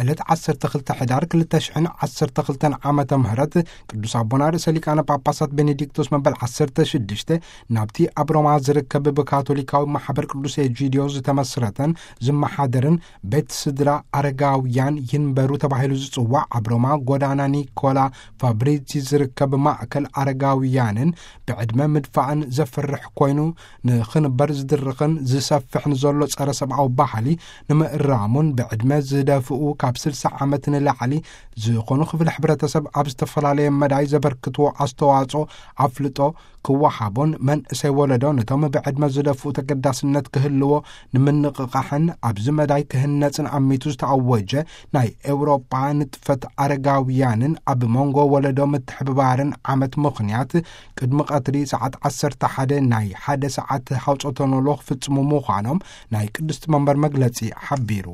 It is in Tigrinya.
ዕለት ዓሰርተ ክልተ ሕዳር ክልተ ሽሕን ዓሰርተ ክልተን ዓመተ ምህረት ቅዱስ ኣቦና ርእሰ ሊቃነ ጳጳሳት ቤኔዲክቶስ መበል ዓሰርተ ሽዱሽተ ናብቲ ኣብ ሮማ ዝርከብ ብካቶሊካዊ ማሕበር ቅዱስ ኤጂዲዮ ዝተመስረተን ዝመሓደርን ቤት ስድራ ኣረጋውያን ይንበሩ ተባሂሉ ዝጽዋዕ ኣብ ሮማ ጎዳና ኒኮላ ፋብሪዚ ዝርከብ ማእከል ኣረጋውያንን ብዕድመ ምድፋእን ዘፍርሕ ኮይኑ ንኽንበር ዝድርኽን ዝሰፍሕን ዘሎ ጸረ ሰብኣዊ ባህሊ ንምእራሙን ብዕድመ ዝደፍኡ ካብ ስልሳ ዓመት ንላዕሊ ዝኾኑ ክፍሊ ሕብረተሰብ ኣብ ዝተፈላለየ መዳይ ዘበርክትዎ ኣስተዋጽኦ ኣፍልጦ ክወሃቦን መንእሰይ ወለዶ ነቶም ብዕድመ ዝደፍኡ ተገዳስነት ክህልዎ ንምንቕቓሕን ኣብዚ መዳይ ክህነጽን ኣሚቱ ዝተኣወጀ ናይ ኤውሮጳ ንጥፈት ኣረጋውያንን ኣብ መንጎ ወለዶ ምትሕብባርን ዓመት ምኽንያት ቅድሚ ቀትሪ ሰዓት ዓሰርተ ሓደ ናይ ሓደ ሰዓት ሃውጾተኖሎ ክፍጽሙ ምዃኖም ናይ ቅድስቲ መንበር መግለጺ ሓቢሩ።